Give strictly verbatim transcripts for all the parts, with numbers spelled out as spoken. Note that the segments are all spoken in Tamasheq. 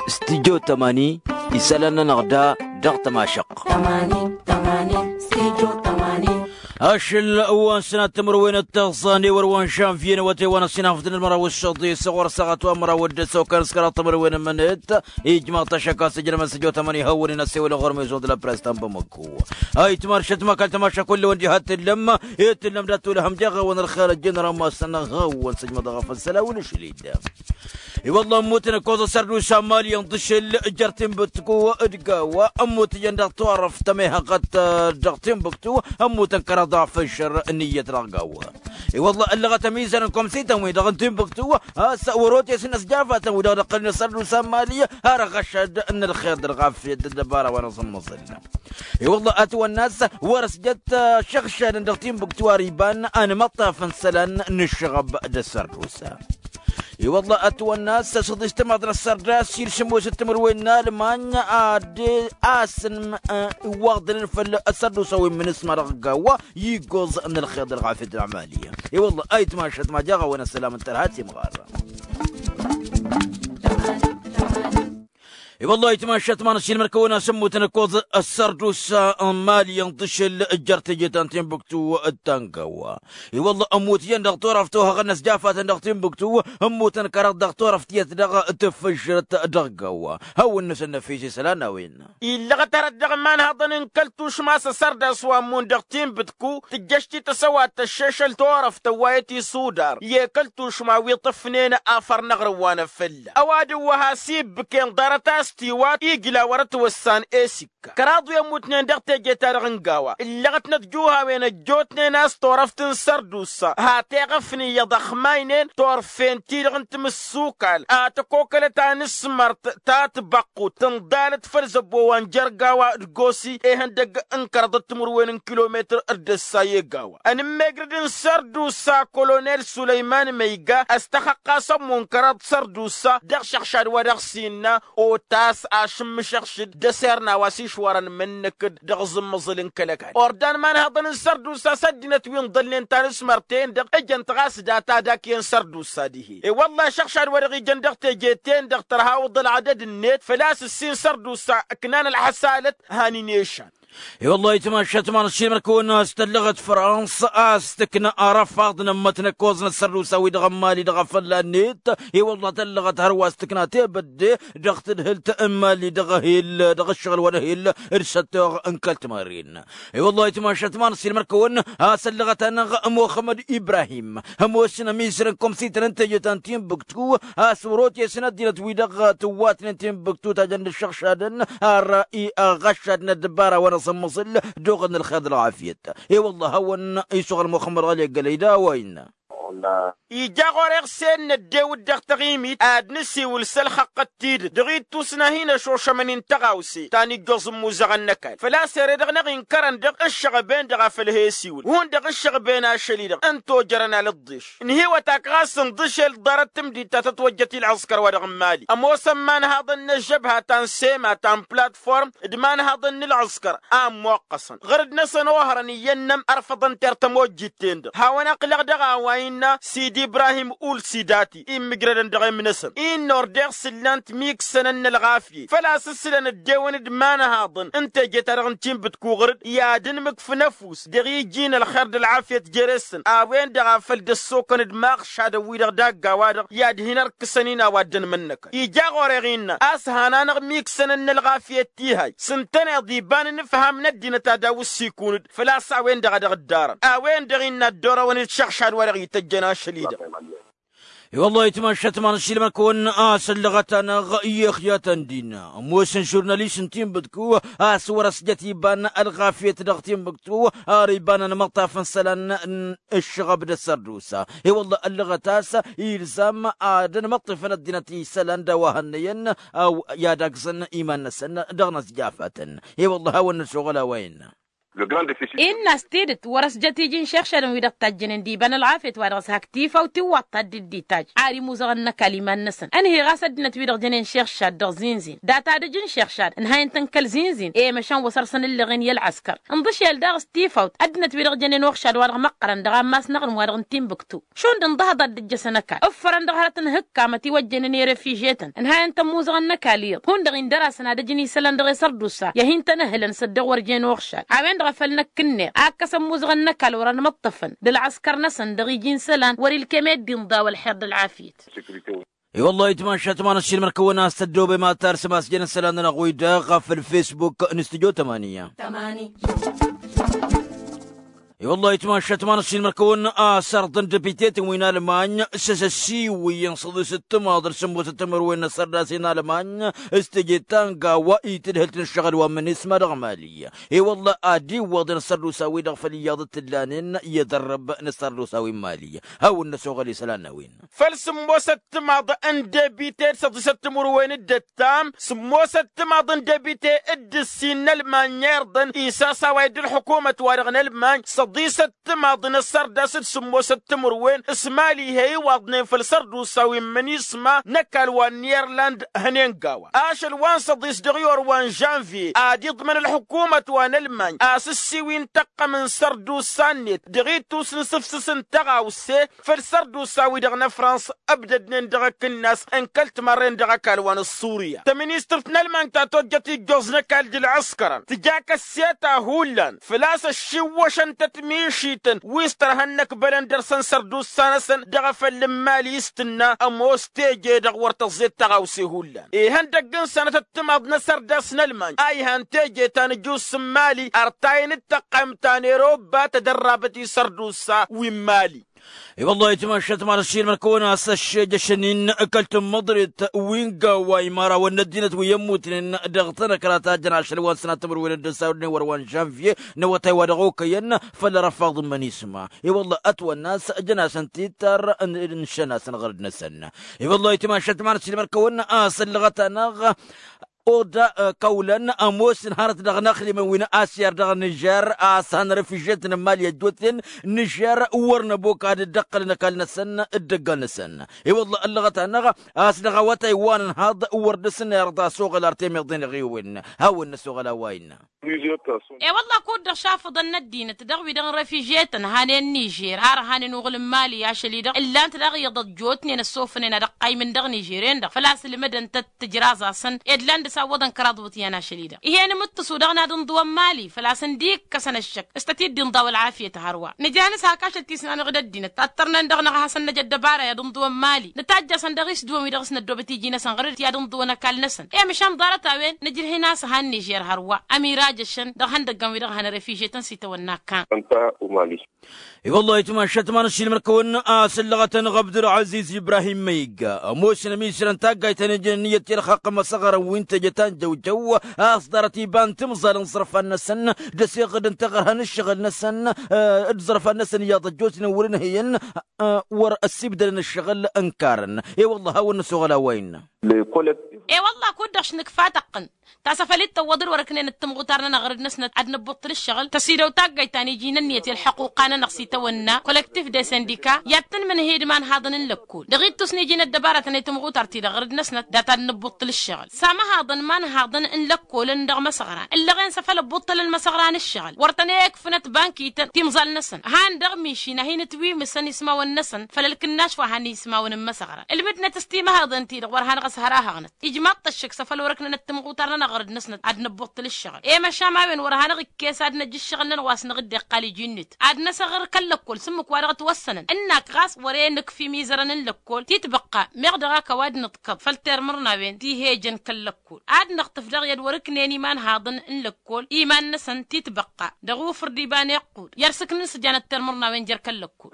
Studio tămani. Isălan-nănăɣ da dăɣ-tămašăqq. Ašăl wa n-sănat timǝrwen d-tiẓẓan i-wăr wa n-žanvye n-awătay wa n-ăsinafăt n-ălmăraw s-săḍis ɣur-săɣăt wa n-măraw d-ăsokăn s-kăraḍ timǝrwen n-mănet. Ijmaɣ-t ašăk a-s ǝjrămăn s-ăjot ămăni hawăn-in ăsewălăn ɣur-mezon d-la press ta n-bamăkku. Ayǝtmar šătma kăl-tămaša kull-wăn diha t-tǝllăm. I-tǝllăm dat-wălhăm deɣ-awăn ălxer ăjjăn rammas-năɣ hawăn-săjmăḍ ɣef ăssăla wăl-ašăl-dd. I-wălla ămmutăn ǝkkoẓ ăssărdusa n-mali ǝnḍǝšǝl jer-tinbǝtku d-gawa ămmut ijăn dăɣ-turăft ămehăɣăt dăɣ-tinbǝktu. Ămmutăn kăraḍ ɣef ǝššăr n-iyyăt dăɣ-gawa. I-wălla ăllăɣăt ămizan n-komsităn-wi-dăɣ n-tinbǝktu a-s wăr-otesăn ăsjafatăn-wi-dăɣ dăɣ-kălăn ăssărdusa n-mali har ăɣšăd n-ălxer d-ălɣafyăt d-ăddăbara wa n-aẓǝmmăẓǝl. I-wălla ătwănna a-s wăr-ăsjăt šăɣšadăn dăɣ-tinbǝktu ar iban ănmăṭṭafăn isălan n-ǝššăɣăb d-ăssărdusa. I-wălla ătwănna a-s ăsăḍis timaḍ n-ăssărdas ilsǝmmos d-timǝrwen n-almany ad-asǝnm iwwaḍălăn făll-ăssărdusa wi n-imǝnǝsma dăɣ-gawa. Iggoẓ n-ălxer d-ălɣafyăt n-amali. I-wălla ayǝtmašăt ma jaɣ-awăn ăssălam n-tărha timɣar. I-wălla ayǝtmašăt ma n-ăššilmăr-kăwăn a-s ămmutăn ǝkkoẓ ăssărdusa n-mali ǝnḍǝšǝl jer-teje ta n-tinbǝktu d-tangawa. I-wălla ămmut iyyăn dăɣ-turăft ohăɣăn n-ăsjafatăn dăɣ-tinbǝktu. Ămmutăn kăraḍ dăɣ-turăft iyyăt dăɣ-tǝffǝžrăt dăɣ-gawa. Hawăn-năsăn năfis isălan a-wen. Illăɣăt arăt dăɣ-imanhăḍăn n-kăl-tušma s-ăssărdas wa ămmun dăɣ-tinbǝtku tǝjjăš-t-i tăsăwat tăššešăl turăft ăwwayăt isudar i-kăl-tušma wi ǝṭṭǝfnen afăr n-aɣrǝm wa n-afălla ăwadǝm wa has-ibbǝken ḍarăt a-s tiwat ijla wăr-ătwăssan esik. Kăraḍ wi ămmutnen dăɣ-teje-ta-dăɣ n-gawa ǝllăɣăt n-ătjuhawen ăjjootnen a-s turăft n-sărdusa hat-eɣăfni iyyăḍ ăxmaynen turfen-ti-dăɣ n-timǝssukal a tăkokălăt anǝsmărt ta tibăqqut tǝnḍalăt făll-zăbbo wa n-jer-gawa d-gosi ehăndăgg n-kăraḍăt timǝrwen n-kilometăr d-ăssa i-gawa ănǝmmegrăd n-sărdusa kolonel sulăyman măyga ăstăxăqqas ămmun kăraḍ sărdusa dăɣ-išăɣšad wa dăɣ-s innă otas ašǝmmǝšăɣšǝd d-ăserna wa s-išwărăn imǝnnǝkǝd dăɣ-aẓǝmmăẓǝl n-kăl-ăkall ordan imanhăḍăn n-sărdusa s-ăddinăt wi ǝnḍălnen tanǝsmărt-en-dăɣ ǝjăn-t ɣas data dak-en sărdusa dihen i-wălla ašăɣšad wa dăɣ-ijăn dăɣ-teje-ten-dăɣ tărha awǝḍ ălɣădăd-net făl-a-s ǝssin sărdusa ǝknan ălxăsalăt. Hanin ešan. I-wălla ayǝtmašăt ma n-ăššilmăr-kăwăn a-s tăllăɣăt frans a-s tǝkna arăfaḍ n-ămmăt n-ăkkoẓ n-ăssărdusa-wi-dăɣ n-mali dăɣ-afălla-net. I-wălla tăllăɣăt hărwa a-s tǝkna tebădde dăɣ-tǝdhǝlt n-mali dăɣ-ehel dăɣ-ǝššăɣǝl wa n-ehel d-săttoɣ n-kăl-timăren. I-wălla ayǝtmašăt ma n-ăššilmăr-kăwăn a-s ăllăɣăt-anăɣ muxămmăd ibrahim ămoosăn ămizăr n-komsităn n-teje ta n-tinbǝktu a-s wăr-otesăn ăddinăt-wi-dăɣ tǝwwatnen tinbǝktu tajăn d-ǝššăɣšadăn ar iɣăššad n-ăddăbara wa n-aẓǝmmăẓǝl d-oɣăd n-ălxer d-ălɣafyăt. I-wălla a hawăn-isuɣăl muxămmăd ɣăli ăggălăy d-a-wa innă. Ija ɣur-e iɣse n-ăddew-dd dăɣ-taɣimit ad-nǝsiwǝl s-ălxăqqăt tidǝt dăɣ-ittus n-ad-hin-ăšošămăn-in tăɣawse ta n-ijjoẓ n-imuzăɣăn n-ăkall făl-a-s ere-dăɣ-năɣ inkărăn-dăɣ ǝššăɣăben-dăɣ a făl he-isiwǝl hundăɣ ǝššăɣăben ašăl-i-dăɣ ǝnta ojărăn alǝḍḍeš. Ǝnhǝywăt-ak ɣas ǝnḍǝšel ḍarăt tǝmdit ta tătwăjjăt i-ălɣǝskăr wa dăɣ-n mali ămoosăn imanhaḍăn n-ăžžăbha ta n-sema ta n-platform d-imanhaḍăn n-ălɣǝskăr a ămmoqqăsăn ɣǝrǝd-năsăn ohărăn iyyăn n-ămărfăḍăn ter tămojjit-ten-dăɣ hawăn-ăqqǝlăɣ dăɣ-a-wa innă sidi ibrahim ulsidati immǝjrădăn dăɣ-em-năsăn innă ordeɣ s-ǝllan-t miksănăn n-ălɣafyăt făl-a-s ǝssǝlăn ăddewăn d-imanhaḍăn n-teje-ta-dăɣ n-tinbǝtku ɣǝrǝd i-ad-ǝnmǝkf n-ăfuss dăɣ-iji n-ălxer d-ălɣafyăt jere-săn a-wen-dăɣ a făl dd-ăssokăn d-imaɣšadăn-wi-dăɣ dagg-a-wa-dăɣ i-ad-hin-ărkǝsăn-in a-wa dd-ănmănnăkăn ija ɣur-e ɣinna a-s han-anăɣ miksănăn n-ălɣafyăt ti-hay s-ǝntăneḍ iba n-inǝfham n-ăddinăt ad-awǝssikun-dd făl-a-s a-wen-dăɣ a dăɣ-ǝddarăn a-wen-dăɣ innă ăddoorăwăn-dd šăɣšad wa dăɣ-ităjjăn ašăl-i-dăɣ. I-wăllah ayǝtmašăt ma n-ašilmăn-kăwăn a-s ăllăɣăt-anăɣ i-ixyatăn dinna ămoosăn žurnalist n-tinbǝtku a-s wăr-ăsjăt iba n-ălɣafyăt dăɣ-tinbǝtku ar iba n-ănmăṭṭaf n-isălan n-ǝššăɣăb d-ăssărdusa. I-wăllah ăllăɣăt a-s ilzam ad-ănmăṭṭifăn ăddinăt isălan d-a-wa hănnăyăn a-wa i-ad-agzăn iman-năsăn dăɣ-inăzjafatăn. I-wăllah a-wa n-năsoɣăl a-wa innă. Innă a-s tidǝt wăr-ăsjăt iji n-išixšadăn wi-dăɣ tajjănen d-iba n-ălɣafyăt wa dăɣ-s hak tifawt tiwwaḍt ta dd-dd-itajj ar imuzăɣăn n-ăkall iman-năsăn ănheɣ a-s ăddinăt wi-dăɣ jănen išixšad dăɣ-zinzin data d-ǝj n-išixšad ǝnhayăn-tăn kăl-zinzin i-măšan wa săr-săn ǝlleɣen i-ălɣăskăr. Ǝnḍǝšel daɣ s-tifawt ăddinăt wi-dăɣ jănen uxšad wa dăɣ-măqqărăn dăɣ-ammas n-aɣrǝm wa dăɣ-n timbǝktu šund ǝnḍăhăḍ ad-dd-ǝjjăsăn ăkall ǝffărăn dăɣ-hărăt n-hǝkkamăt iwăjjănen i-refijyetăn ǝnhayăn-tăn imuzăɣăn n-ăkall iyyăḍ hundăɣ-in dăr-asăn ad-ǝjǝn isălan dăɣ-e-sărdusa i-ad-hin-tăn-ǝhǝlăn s-ăddiɣ wăr jen uxšad a-wen-dăɣ a făl năkk ǝnneḍ a ǝkkăsăn imuzăɣăn n-ăkall wăr-ănmăṭṭăfăn d-ălɣăskăr-năsăn dăɣ-iji n-isălan wăr-ilkem i-dd-inḍa wăl-ixer d-ălɣafyăt. I-wăllah itmašat ma n-ăssiilmăr-kăwăn a-s tăddoobem ad-tarsǝm a-s jăn isălan-nănăɣ wi-dăɣ ɣef ălfesbuk n-studyo tămani. I-wăllah itmašat ma n-ăssiilmăr-kăwăn a-s ărḍăn depite-tăn wi n-almañ s-asăssiwǝyăn săḍisăt timaḍ d-sǝmmosăt timǝrwen n-ăssărdas i-n-almañ s-teje ta n-gawa itǝdhǝlt n-ǝššăɣǝl wa n-imǝnisma dăɣ-mali. I-wăllah ad-iwwăḍen ăssărdusa-wi-dăɣ făll-iyyăḍ t-ǝllanen i-edărrăb n-ăssărdusa wi n-mali. Hawăn-năsoɣăl isălan n-a-wen. Făll-sǝmmosăt timaḍ n-debite d-săḍisăt timǝrwen d-ǝttam sǝmmosăt timaḍ n-debite d-ǝssin n-ălmañ irḍăn isasaway d-ălḥukumăt-wa-dăɣ n-ălmañ săḍisăt timaḍ n-ăssărdas d-sǝmmosăt timǝrwen s-mali he-iwaḍnen făll-sărdusa wi n-imǝnisma n-ăkall wa n-irland hănen gawa ašăl wa n-săḍis dăɣ-iwăr wa n-žănvye ad-iḍmăn ălḥukumăt wa n-ălmañ a-s ǝssiwǝy n-tăqqăm n-sărdusa-net dăɣ-ittus n-sǝfsǝs n-tăɣawse făll-sărdusa-wi-dăɣ n-ăfrans ăbdădnen dăɣ-akǝnnas n-kăl-timarren dăɣ-ăkall wa n-ăṣṣurya tăministărt n-ălmañ ta tojjăt ijjoẓ n-ăkall d-ălɣăskărăn tǝja kăsseta hullan făl-a-s ăššiwwăšăn-tăt mišităn wi s-tărha ănnăkbălăn dăr-săn sărdusa-năsăn dăɣ-efăll n-imali s-tǝnna ămoos teje-dăɣ wăr tăẓẓet tăɣawse hullan ihăndăgg n-sănătăt timaḍ n-asărdas n-ălmañ a ihan teje ta n-ǝjus n-imali ărtayăn d-tăqqaymt ta n-erobba tădărrabăt i-sărdusa wi n-imali. I-wăllah itmašat ma n-ăssiilmăr-kăwăn a-s ăššejăšăn-in kăl-tǝmmăḍret wi n-gawa imărawăn n-ăddinăt wi ămmutnen dăɣ-tanăkra ta jăn ašăl wa n-sănat timǝrwen d-ǝnsa ăwdǝnen wăr-wa n-žănvye n-awătay wa dăɣ-okăyăn făll-răfaḍ n-imănisma. I-wăllah ătwănna a-s jăn-asăn tittăr n-išăn-asăn ɣărd-năsăn. I-wăllah itmašat ma n-ăssiilmăr-kăwăn a-s ăllăɣăt-anăɣ oda kăwlăn ămoosăn hărăt dăɣ-inăxdimăn wi n-asyar dăɣ-nižer a-s han refižyetăn n-imali ăjjootnen nižer wăr năbok ad-dd-ăqqălăn ăkall-năsăn d-ăggal-năsăn. I-wălla ăllăɣăt-anăɣ a-s dăɣ-awătay wa n-ănhaḍ wăr dăr-s n-irḍa s-oɣăl ar temiḍen ăɣiwen hawăn-năsoɣăl a-wa innă. E-wălla kud-dăɣ šafăḍăn n-ăddinăt dăɣ-wi-dăɣ n-refižyetăn hanen nižer har hanen uɣǝl n-imali ašăl-i-dăɣ ǝllan-t daɣ iyyăḍ ăjjootnen ăssofănen ad-ăqqaymǝn dăɣ-nižer-en-dăɣ făl-a-s ǝlmǝdăn-tăt tǝjraẓ-asăn ed lan dăɣ-s awwăḍăn kăraḍ iwǝtyan ašăl-i-dăɣ ih'-en imǝttǝsu dăɣ-nad ǝnḍǝwăn mali făl-a-s ǝndi ikkăsăn ăššăk s-tăt-dd-inḍaw ălɣafyăt hărwa nǝja-năs hak ašăl tisnanăɣ d-ăddinăt ad-tărnen dăɣ-năɣ a hasăn-năj ăddăbara i-ad-ǝnḍǝwăn mali nǝtajj-asăn dăɣ-isdǝwăn wi-dăɣ s-năddoobăt iji-năsăn ɣăr-dd i-ad-ǝnḍǝwăn ăkall-năsăn i-măšan ḍarăt-a-wen nǝjrǝh-in a-s han nižer hărwa ămirajăšăn dăɣ-ihăndăggăn wi-dăɣ hanărefizhetăn s-itawănna kan. I-wăllah itmašat ma n-ăssiilmăr-kăwăn a-s ǝllăɣăt-anăɣ abdulɣaziz ibrahim ma igga ămoosăn ămisrăn taggayt ta n-ijăn ǝnniyăt i-ălxaqq n-imăsăɣrăn wi n-teje ta n-jăwjăw a-s ḍarăt iba n-timẓal n-iẓrǝfan-năsăn d-ăsiɣǝd n-taɣărha n-ǝššăɣǝl-năsăn d-iẓrǝfan-năsăn iyyăḍ ăjjootnen wăr-ǝnhǝyăn wăr-ăssibdălăn ǝššăɣǝl ǝnkarăn. I-wăllah hawăn-năsoɣăl a-wa innă. I-wăllah kud-dăɣ š-nǝkfa tăqqǝn ta s-afăl dd-tăwwăḍ d-wăr-ǝknen d-timɣutar-nănăɣ ɣăr-dd-năsnăt ad-năbbuṭṭǝl ǝššăɣǝl tăsidăw taggayt ta n-iji n-ǝnniyăt i-ălḥăquqa-nănăɣ s-itawănna kolektif de sindika i-ad-tǝnmǝnhǝy d-imanhaḍăn n-lăkkol dăɣ-ittus n-iji n-ăddăbaratăn i-timɣutar-ti-dăɣ ɣăr-dd-năsnăt data ad-năbbuṭṭǝl ǝššăɣǝl s-amăhaḍăn imanhaḍăn n-lăkkolăn dăɣ-imăsăɣran ǝllăɣen s-afăl ăbbuṭṭălăn imăsăɣran ǝššăɣǝl wăr tăn-e-ǝkfǝnăt bankităn timẓal-năsăn han dăɣ-mišin a hin-ǝtwimǝsăn ismawăn-năsăn făll-ălkǝnnaš wa han ismawăn n-imăsăɣran ǝlmǝdnăt s-timăhaḍăn-ti-dăɣ wăr hanăɣ-ăshărahăɣnăt ijmaḍ-t ăššăk s-afăl wăr-ǝknănăt timɣutar-nănăɣ ɣăr-dd-năsnăt ad-năbbuṭṭǝl ǝššăɣǝl i-măšan a-wen wăr hanăɣ-ikkes ad-năj ǝššăɣǝl-nănăɣ wa s-năɣ dd-iqqal iji-net ad-năsăɣr kăl-lăkkol s-ǝmmǝk wa dăɣ-ătwăssănăn ǝnnak ɣas wăr-e nǝkf imizărăn n-lăkkol titbăqqa meɣ dăɣ-ak ăwadǝm ǝḍkăḍ făll-termărnawen ti he-ijăn kăl-lăkkol ad-năɣtǝf dăɣ-i ad-wăr-ǝknen imanhaḍăn n-lăkkol iman-năsăn titbăqqa dăɣ-ufǝr d-iba n-iqqud i-ad-sǝknǝn s-ǝjanăt termărnawen jer-kăl-lăkkol.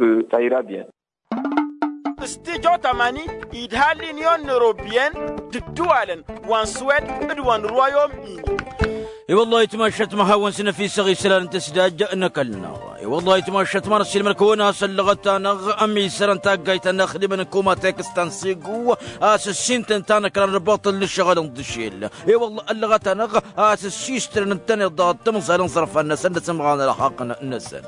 S-tijo tamani idha l-inyon n-erobiyen d-ǝddǝwalăn wa n-swed d-wa n-royom-ini. I-wăllah itmašat ma hawăn-s năfisăɣ isălan n-tăsdaj n-ăkall-năɣ. I-wăllah ayǝtmašat ma n-ăssiilmăr-kăwăn a-s ăllăɣăt-anăɣ ămisărăn taggayt ta n-inaxdimăn n-kumateks ta n-sigu a-s ǝssin-tăn tanăkra n-ălbaṭṭăl n-ǝššăɣǝl n-dăšel. I-wăllah ăllăɣăt-anăɣ a-s ǝssistrăn ǝntăneḍ dăɣ-tǝmẓal n-iẓărfan-năsăn d-asǝmɣan ălxaqq-năsăn.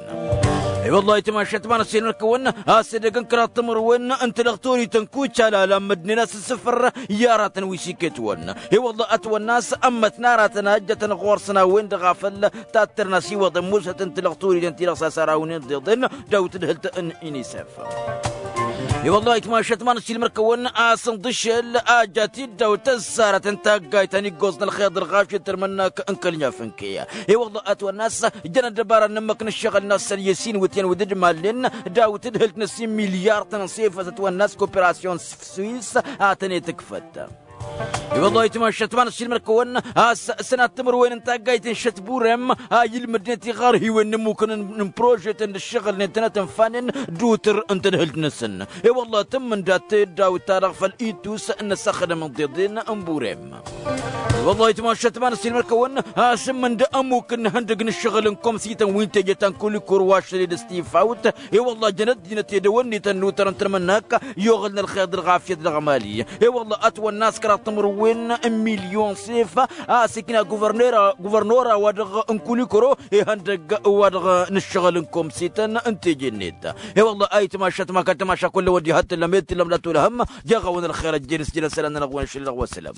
I-wăllah ayǝtmašat ma n-ăssiilmăr-kăwăn a-s edăgg n-kăraḍ timǝrwen n-tilăɣturităn kucalala n-măddǝn-en a-s ǝssǝfăr i-aratăn wi s-iket-wăn. I-wăllah ătwănna a-s ămmătna aratăn a ǝjjătăn ɣur-săn a-wen-dăɣ a făl tattărăn asiwăḍăn musăt n-tilăɣturităn ti-dăɣ s-a-s arawnen d-iḍen daw-tǝdhǝlt n-inisef. I-wăllah ayǝtmašat ma n-ăssiilmăr-kăwăn a-s ǝnḍǝšel a ja tiddawt tăzzarăt n-taggayt ta n-iggoẓ n-ălxeḍ ălɣašet tărmănnak n-kăl-nǝfǝnke. I-wăllah ătwănna a-s jăn ăddăbara n-ǝmmǝk n-ǝššăɣǝl-năsăn i-ăsinwǝtyan wi dd-malnen daw-tǝdhǝlt n-ăssin milyar-tăn n-sefăt ătwănna a-s koperasyon s-swis a tăn-e-tǝkfăt. I-wăllah ayǝtmašat ma n-ăssiilmăr-kăwăn a-s sănat timǝrwen n-taggayt n-šăt burem a ilmǝdnet iɣărhiwen n-ǝmmukăn n-prožetăn d-ǝššăɣǝlnen tănăt-ǝnfanen d-utǝr n-tadhǝlt-năsăn. I-wăllah tǝmmǝnda teddawt-ta-dăɣ făll-itus n-asăxdăm n-tiḍen n-burem. I-wăllah ayǝtmašat ma n-ăssiilmăr-kăwăn a-s ǝmmǝnda ămmuk n-ihăndăg n-ǝššăɣǝl n-komsităn wi n-teje ta n-kulikor wa ašăl i-dd-ăstifawt. I-wăllah jăn ăddinăt edăwănnităn n-utăr n-tărmănnak i-oɣălăn ălxeḍ ălɣafyăt dăɣ-emali. I-wăllah ătwănna a-s kăraḍ timǝrwen n-milyon sef a-s ikna guvărnora wa-dăɣ n-kulikoro ihăndăg wa-dăɣ n-ǝššăɣǝl n-komsităn n-teje-net. I-wăllah ayǝtmašat ma kăl-tamaša kull ăwăddi hăt tǝllăm ed tǝllăm la tulhăm. Jeɣ-awăn ălxer ăjjeen s-jin ăsălan-nănăɣ wa n-ašăl dăɣ-wa sălam.